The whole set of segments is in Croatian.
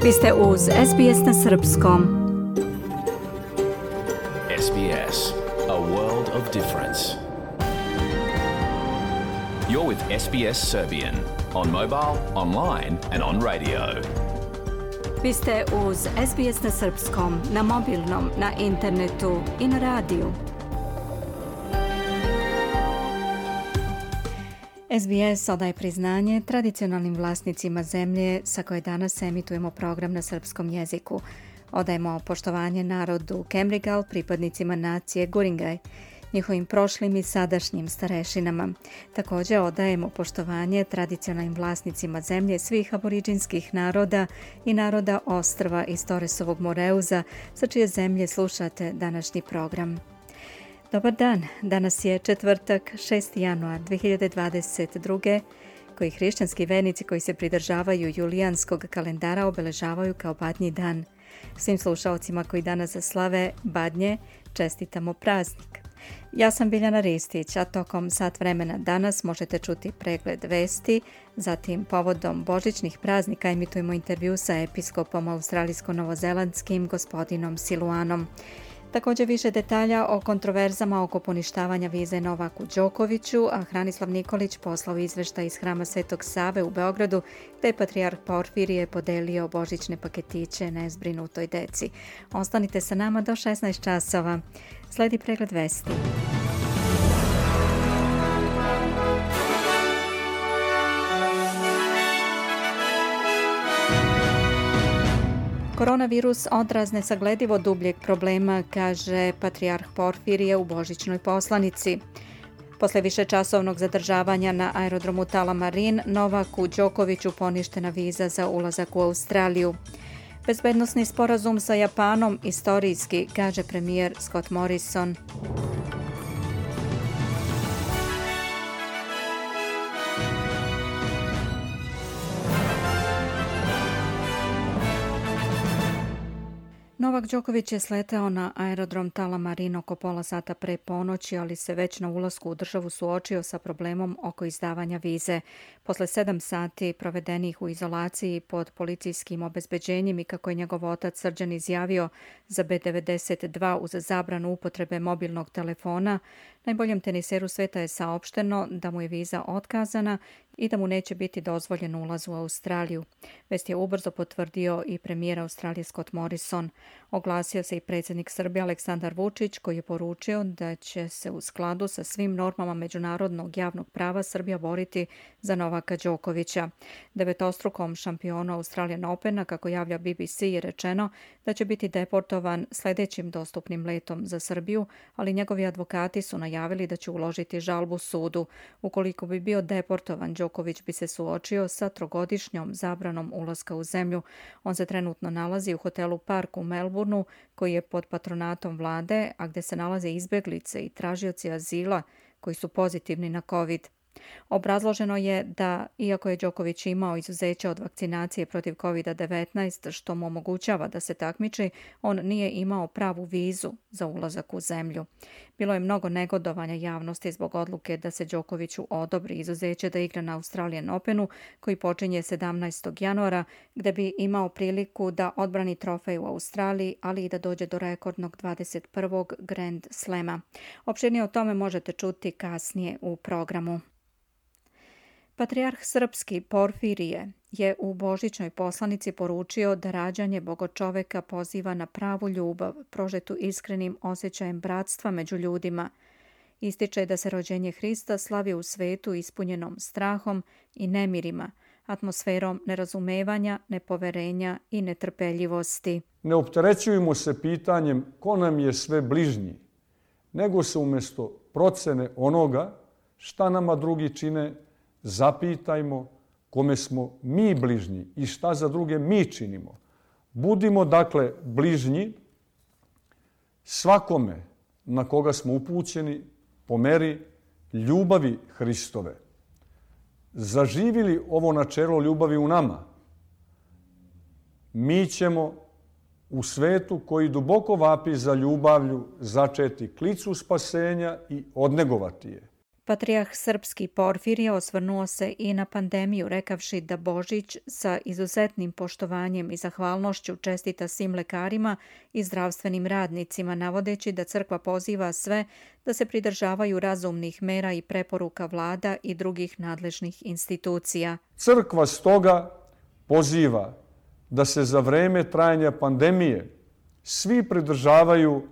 Vi ste uz SBS na srpskom. SBS, a world of difference. You're with SBS Serbian on mobile, online and on radio. Vi ste uz SBS na srpskom, na mobilnom, na internetu i na radiju. SBS odaje priznanje tradicionalnim vlasnicima zemlje sa koje danas emitujemo program na srpskom jeziku. Odajemo poštovanje narodu Kemrigal, pripadnicima nacije Guringaj, njihovim prošlim i sadašnjim starešinama. Također odajemo poštovanje tradicionalnim vlasnicima zemlje svih aboriđinskih naroda i naroda ostrva iz Torresovog Moreuza, sa čije zemlje slušate današnji program. Dobar dan, danas je četvrtak, 6. januar 2022. koji hrišćanski vernici koji se pridržavaju julijanskog kalendara obeležavaju kao Badnji dan. Svim slušalcima koji danas slave Badnje čestitamo praznik. Ja sam Biljana Ristić, a tokom sat vremena danas možete čuti pregled vesti, zatim povodom božićnih praznika emitujemo intervju sa episkopom australijsko-novozelandskim gospodinom Siluanom. Također više detalja o kontroverzama oko poništavanja vize Novaku Đokoviću, a Hranislav Nikolić poslao izveštaj iz Hrama Svetog Save u Beogradu, gde je patrijarh Porfirije podelio božićne paketiće nezbrinutoj deci. Ostanite sa nama do 16 časova. Sledi pregled vesti. Koronavirus odraz nesagledivo dubljeg problema, kaže patrijarh Porfirije u božićnoj poslanici. Posle višečasovnog zadržavanja na aerodromu Tullamarine, Novaku Đokoviću poništena viza za ulazak u Australiju. Bezbednosni sporazum sa Japanom istorijski, kaže premijer Scott Morrison. Novak Đoković je sleteo na aerodrom Tullamarine oko pola sata pre ponoći, ali se već na ulasku u državu suočio sa problemom oko izdavanja vize. Posle 7 sati provedenih u izolaciji pod policijskim obezbeđenjem i kako je njegov otac Srđan izjavio za B92 uz zabranu upotrebe mobilnog telefona, najboljem teniseru sveta je saopšteno da mu je viza otkazana i da mu neće biti dozvoljen ulaz u Australiju. Vest je ubrzo potvrdio i premijer Australije Scott Morrison. Oglasio se i predsjednik Srbije Aleksandar Vučić, koji je poručio da će se u skladu sa svim normama međunarodnog javnog prava Srbija boriti za Novaka Đokovića. Devetostrukom šampionu Australian Opena, kako javlja BBC, je rečeno da će biti deportovan sljedećim dostupnim letom za Srbiju, ali njegovi advokati su najavili da će uložiti žalbu sudu. Ukoliko bi bio deportovan, Đoković bi se suočio sa 3-godišnjom zabranom ulaska u zemlju. On se trenutno nalazi u hotelu Park u Melbourneu, koji je pod patronatom vlade, a gdje se nalaze izbjeglice i tražioci azila koji su pozitivni na COVID. Obrazloženo je da, iako je Đoković imao izuzeće od vakcinacije protiv COVID-19, što mu omogućava da se takmiči, on nije imao pravu vizu za ulazak u zemlju. Bilo je mnogo negodovanja javnosti zbog odluke da se Đokoviću odobri izuzeće da igra na Australian Openu, koji počinje 17. januara, gde bi imao priliku da odbrani trofej u Australiji, ali i da dođe do rekordnog 21. Grand Slema. Opširnije o tome možete čuti kasnije u programu. Patrijarh srpski Porfirije je u božićnoj poslanici poručio da rađanje Bogočoveka poziva na pravu ljubav, prožetu iskrenim osjećajem bratstva među ljudima. Ističe da se rođenje Hrista slavi u svetu ispunjenom strahom i nemirima, atmosferom nerazumevanja, nepoverenja i netrpeljivosti. Ne opterećujemo se pitanjem ko nam je sve bližnji, nego se umjesto procene onoga šta nama drugi čine, zapitajmo kome smo mi bližnji i šta za druge mi činimo. Budimo dakle bližnji svakome na koga smo upućeni po meri ljubavi Hristove. Zaživili ovo načelo ljubavi u nama, mi ćemo u svetu koji duboko vapi za ljubavlju začeti klicu spasenja i odnegovati je. Patrijarh srpski Porfirije osvrnuo se i na pandemiju, rekavši da Božić sa izuzetnim poštovanjem i zahvalnošću čestita svim lekarima i zdravstvenim radnicima, navodeći da crkva poziva sve da se pridržavaju razumnih mera i preporuka vlada i drugih nadležnih institucija. Crkva stoga poziva da se za vreme trajanja pandemije svi pridržavaju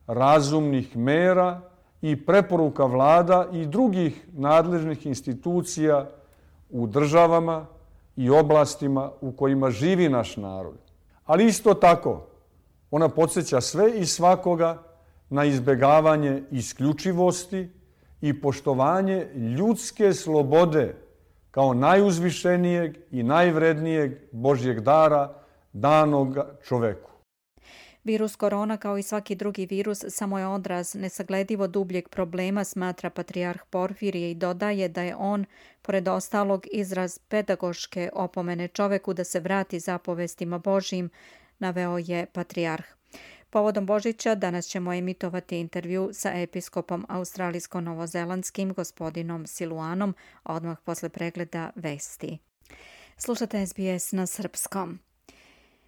razumnih mera i preporuka vlada i drugih nadležnih institucija u državama i oblastima u kojima živi naš narod. Ali isto tako, ona podsjeća sve i svakoga na izbjegavanje isključivosti i poštovanje ljudske slobode kao najuzvišenijeg i najvrednijeg Božjeg dara danog čoveku. Virus korona, kao i svaki drugi virus, samo je odraz nesagledivo dubljeg problema, smatra patrijarh Porfirije i dodaje da je on, pored ostalog, izraz pedagoške opomene čoveku da se vrati zapovestima Božjim, naveo je patrijarh. Povodom Božića danas ćemo emitovati intervju sa episkopom australijsko-novozelandskim gospodinom Siluanom, odmah posle pregleda vesti. Slušate SBS na srpskom.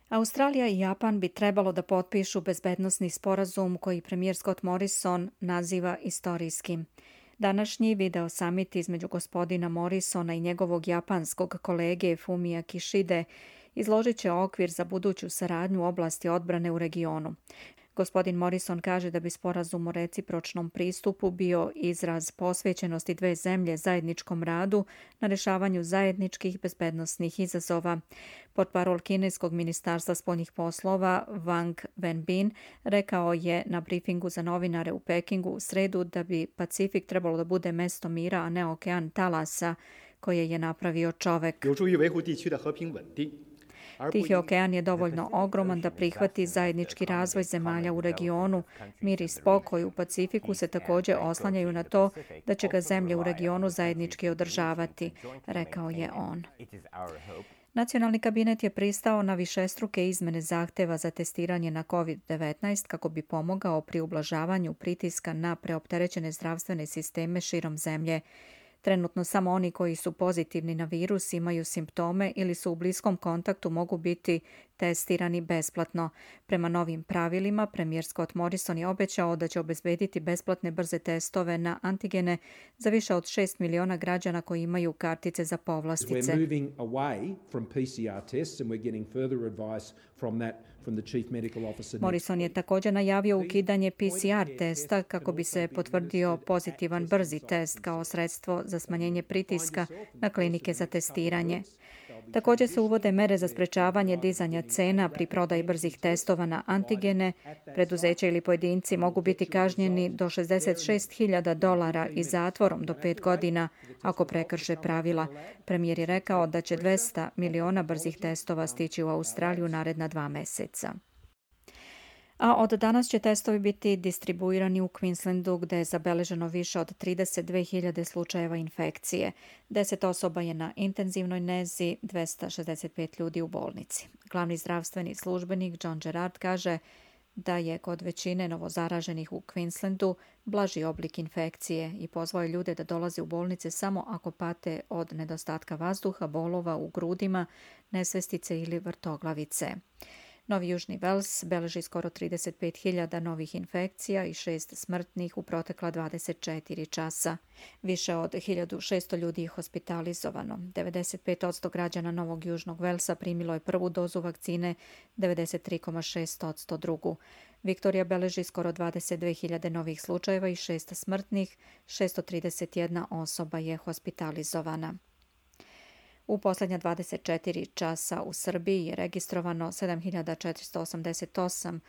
Australija i Japan bi trebalo da potpišu bezbednosni sporazum koji premijer Scott Morrison naziva istorijskim. Današnji video samit između gospodina Morrisona i njegovog japanskog kolege Fumia Kishide izložit će okvir za buduću saradnju u oblasti odbrane u regionu. Gospodin Morrison kaže da bi sporazum o recipročnom pristupu bio izraz posvećenosti dve zemlje zajedničkom radu na rešavanju zajedničkih bezbednosnih izazova. Portparol kineskog ministarstva spoljnih poslova Wang Wenbin rekao je na brifingu za novinare u Pekingu u sredu da bi Pacifik trebalo da bude mesto mira, a ne okean talasa koje je napravio čovek. Tihi okean je dovoljno ogroman da prihvati zajednički razvoj zemalja u regionu. Mir i spokoj u Pacifiku se također oslanjaju na to da će ga zemlje u regionu zajednički održavati, rekao je on. Nacionalni kabinet je pristao na višestruke izmene zahteva za testiranje na COVID-19 kako bi pomogao pri ublažavanju pritiska na preopterećene zdravstvene sisteme širom zemlje. Trenutno samo oni koji su pozitivni na virus, imaju simptome ili su u bliskom kontaktu mogu biti testirani besplatno. Prema novim pravilima, premijer Scott Morrison je obećao da će obezbediti besplatne brze testove na antigene za više od 6 miliona građana koji imaju kartice za povlastice. Morrison je također najavio ukidanje PCR testa kako bi se potvrdio pozitivan brzi test kao sredstvo za smanjenje pritiska na klinike za testiranje. Također se uvode mere za sprečavanje dizanja cena pri prodaji brzih testova na antigene. Preduzeća ili pojedinci mogu biti kažnjeni do $66.000 i zatvorom do 5 godina ako prekrše pravila. Premijer je rekao da će 200 miliona brzih testova stići u Australiju naredna 2 meseca. A od danas će testovi biti distribuirani u Queenslandu gdje je zabeleženo više od 32.000 slučajeva infekcije. 10 osoba je na intenzivnoj nezi, 265 ljudi u bolnici. Glavni zdravstveni službenik John Gerard kaže da je kod većine novozaraženih u Queenslandu blaži oblik infekcije i pozvao je ljude da dolaze u bolnice samo ako pate od nedostatka vazduha, bolova u grudima, nesvestice ili vrtoglavice. Novi Južni Vels beleži skoro 35.000 novih infekcija i 6 smrtnih u protekla 24 časa. Više od 1.600 ljudi je hospitalizovano. 95% građana Novog Južnog Velsa primilo je prvu dozu vakcine, 93,6% drugu. Viktorija beleži skoro 22.000 novih slučajeva i 6 smrtnih, 631 osoba je hospitalizovana. U posljednja 24 časa u Srbiji je registrovano 7.488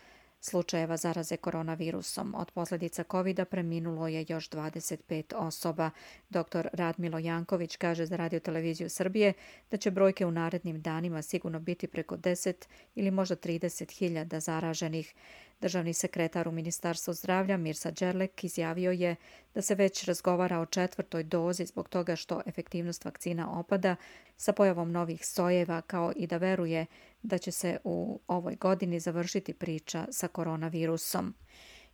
slučajeva zaraze koronavirusom. Od posljedica COVID-a preminulo je još 25 osoba. Dr. Radmilo Janković kaže za Radio televiziju Srbije da će brojke u narednim danima sigurno biti preko 10 ili možda 30.000 zaraženih. Državni sekretar u Ministarstvu zdravlja Mirsa Đerlek izjavio je da se već razgovara o 4. dozi zbog toga što efektivnost vakcina opada sa pojavom novih sojeva, kao i da veruje da će se u ovoj godini završiti priča sa koronavirusom.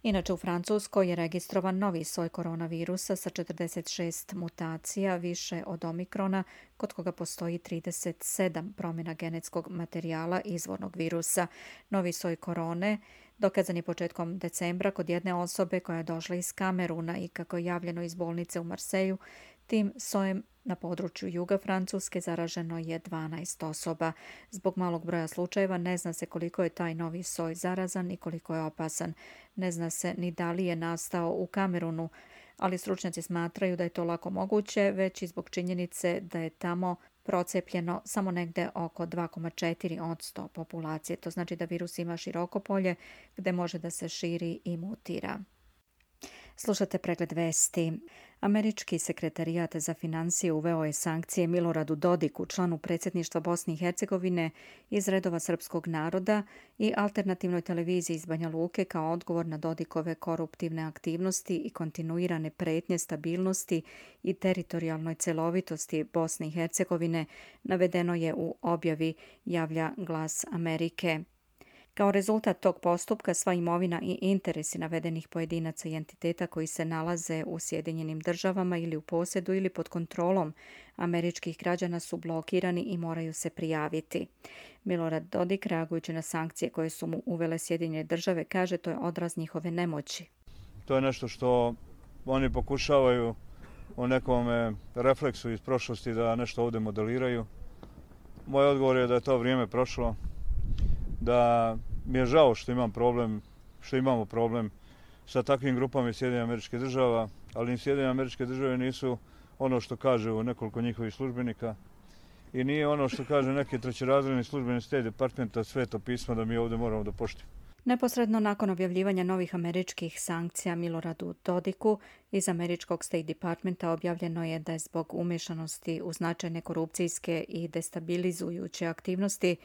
Inače, u Francuskoj je registrovan novi soj koronavirusa sa 46 mutacija, više od omikrona, kod koga postoji 37 promjena genetskog materijala izvornog virusa. Novi soj korone dokazan je početkom decembra kod jedne osobe koja je došla iz Kameruna i, kako je javljeno iz bolnice u Marseju, tim sojem na području juga Francuske zaraženo je 12 osoba. Zbog malog broja slučajeva ne zna se koliko je taj novi soj zarazan i koliko je opasan. Ne zna se ni da li je nastao u Kamerunu, ali stručnjaci smatraju da je to lako moguće, već i zbog činjenice da je tamo procepljeno samo negde oko 2,4% populacije. To znači da virus ima široko polje gde može da se širi i mutira. Slušate pregled vesti. Američki sekretarijat za financije uveo je sankcije Miloradu Dodiku, članu predsjedništva Bosne i Hercegovine, iz redova srpskog naroda i alternativnoj televiziji iz Banja Luke kao odgovor na Dodikove koruptivne aktivnosti i kontinuirane pretnje stabilnosti i teritorijalnoj celovitosti Bosne i Hercegovine, navedeno je u objavi, javlja Glas Amerike. Kao rezultat tog postupka sva imovina i interesi navedenih pojedinaca i entiteta koji se nalaze u Sjedinjenim državama ili u posjedu ili pod kontrolom američkih građana su blokirani i moraju se prijaviti. Milorad Dodik, reagujući na sankcije koje su mu uvele Sjedinjene države, kaže to je odraz njihove nemoći. To je nešto što oni pokušavaju u nekom refleksu iz prošlosti da nešto ovdje modeliraju. Moj odgovor je da je to vrijeme prošlo, da mi je žao što imamo problem sa takvim grupama iz Sjedinjenih Američkih Država, ali ni Sjedinjene Američke Države nisu ono što kaže nekoliko njihovih službenika i nije ono što kaže neki trećerazredni službeni State Departmenta Sveto pismo da mi ovdje moramo da poštujemo. Neposredno nakon objavljivanja novih američkih sankcija Miloradu Dodiku iz američkog State Departmenta objavljeno je da je zbog umješanosti u značajne korupcijske i destabilizujuće aktivnosti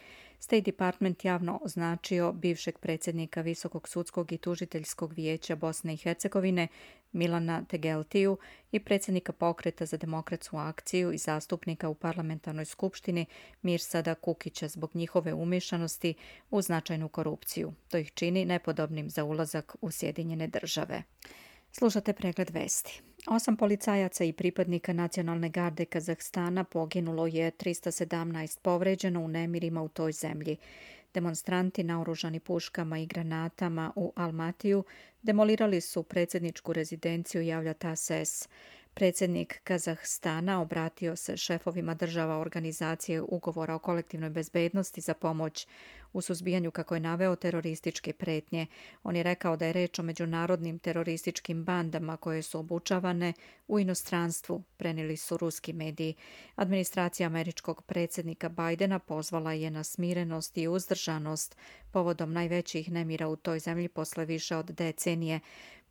State Department javno označio bivšeg predsjednika Visokog sudskog i tužiteljskog vijeća Bosne i Hercegovine Milana Tegeltiju i predsjednika Pokreta za demokratsku akciju i zastupnika u parlamentarnoj skupštini Mirsada Kukića zbog njihove umješanosti u značajnu korupciju. To ih čini nepodobnim za ulazak u Sjedinjene države. Slušate pregled vesti. 8 policajaca i pripadnika nacionalne garde Kazahstana poginulo je, 317 povređeno u nemirima u toj zemlji. Demonstranti naoružani puškama i granatama u Almatiju demolirali su predsjedničku rezidenciju, javlja TASS. Predsjednik Kazahstana obratio se šefovima država organizacije ugovora o kolektivnoj bezbednosti za pomoć u suzbijanju, kako je naveo, terorističke pretnje. On je rekao da je reč o međunarodnim terorističkim bandama koje su obučavane u inostranstvu, prenijeli su ruski mediji. Administracija američkog predsjednika Bajdena pozvala je na smirenost i uzdržanost povodom najvećih nemira u toj zemlji posle više od decenije.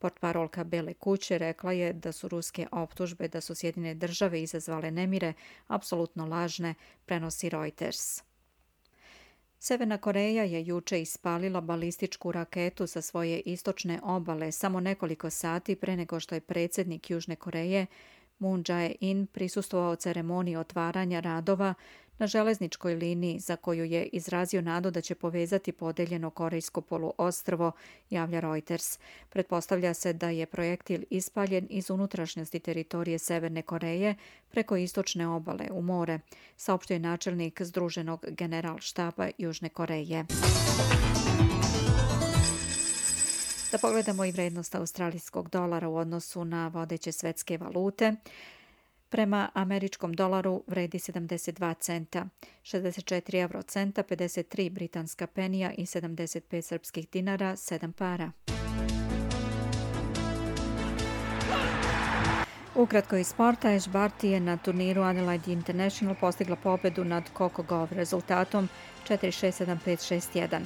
Portparolka Bele kuće rekla je da su ruske optužbe da su Sjedinjene države izazvale nemire apsolutno lažne, prenosi Reuters. Severna Koreja je juče ispalila balističku raketu sa svoje istočne obale samo nekoliko sati pre nego što je predsjednik Južne Koreje Moon Jae-in prisustvovao ceremoniji otvaranja radova na železničkoj liniji za koju je izrazio nadu da će povezati podeljeno korejsko poluostrvo, javlja Reuters. Pretpostavlja se da je projektil ispaljen iz unutrašnjosti teritorije Severne Koreje preko istočne obale u more, saopštio je načelnik Združenog generalštaba Južne Koreje. Da pogledamo i vrednost australijskog dolara u odnosu na vodeće svetske valute. Prema američkom dolaru vredi 72 centa, 64 eurocenta, 53 britanska penija i 75 srpskih dinara, 7 para. Ukratko iz sporta, Ash Barty je na turniru Adelaide International postigla pobedu nad Coco Gauff rezultatom 4-6-7-5-6-1.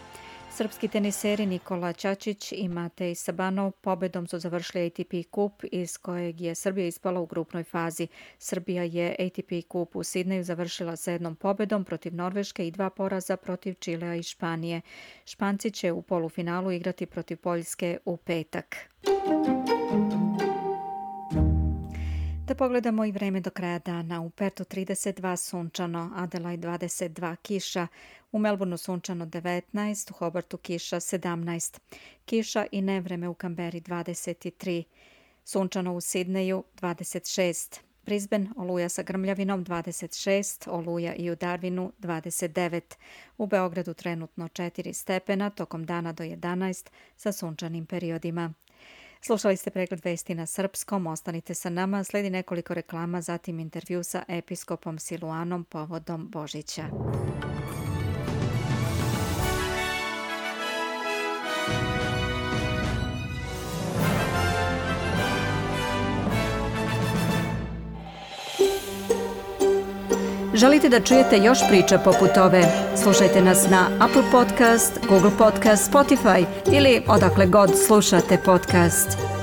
Srpski teniseri Nikola Ćačić i Matej Sabanov pobedom su završili ATP kup iz kojeg je Srbija ispala u grupnoj fazi. Srbija je ATP kup u Sidneju završila sa 1 pobedom protiv Norveške i 2 poraza protiv Čilea i Španije. Španci će u polufinalu igrati protiv Poljske u petak. Da pogledamo i vreme do kraja dana. U Pertu 32 sunčano, Adelaide 22 kiša, u Melbourneu sunčano 19, u Hobartu kiša 17, kiša i nevreme u Kamberi 23, sunčano u Sidneju 26, Brisbane oluja sa grmljavinom 26, oluja i u Darwinu 29, u Beogradu trenutno 4 stepena, tokom dana do 11 sa sunčanim periodima. Slušali ste pregled vesti na srpskom, ostanite sa nama, slijedi nekoliko reklama, zatim intervju sa episkopom Siluanom povodom Božića. Želite da čujete još priča poput ove? Slušajte nas na Apple Podcast, Google Podcast, Spotify ili odakle god slušate podcast.